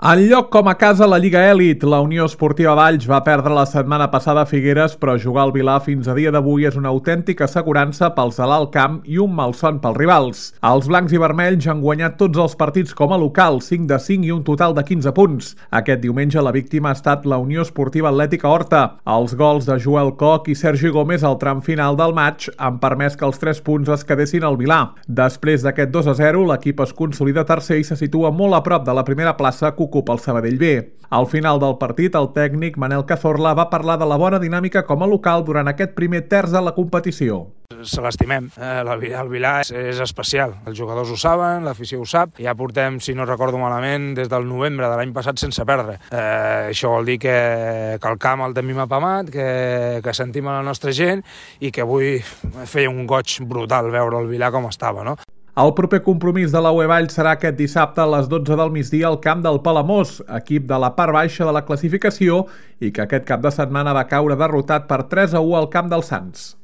En lloc com a casa a la Lliga Elit, la Unió Esportiva Valls va perdre la setmana passada a Figueres, però jugar al Vilar fins a dia d'avui és una autèntica assegurança pels de l'alt camp i un malson pels rivals. Els blancs i vermells han guanyat tots els partits com a local, 5 de 5 i un total de 15 punts. Aquest diumenge la víctima ha estat la Unió Esportiva Atlètica Horta. Els gols de Joel Koch i Sergi Gómez al tram final del maig han permès que els 3 punts es quedessin al Vilar. Després d'aquest 2-0, l'equip es consolida tercer i se situa molt a prop de la primera plaça que ocupa el Sabadell B. Al final del partit, el tècnic Manel Cazorla va parlar de la bona dinàmica com a local durant aquest primer terç de la competició. Se l'estimem. El Vilar és especial. Els jugadors ho saben, l'afició ho sap. Ja portem, si no recordo malament, des del novembre de l'any passat sense perdre. Això vol dir que el camp el tenim apamat, que sentim a la nostra gent i que avui feia un goig brutal veure el Vilar com estava, no? El proper compromís de la UE Valls serà aquest dissabte a les 12 del migdia al camp del Palamós, equip de la part baixa de la classificació i que aquest cap de setmana va caure derrotat per 3-1 al camp dels Sants.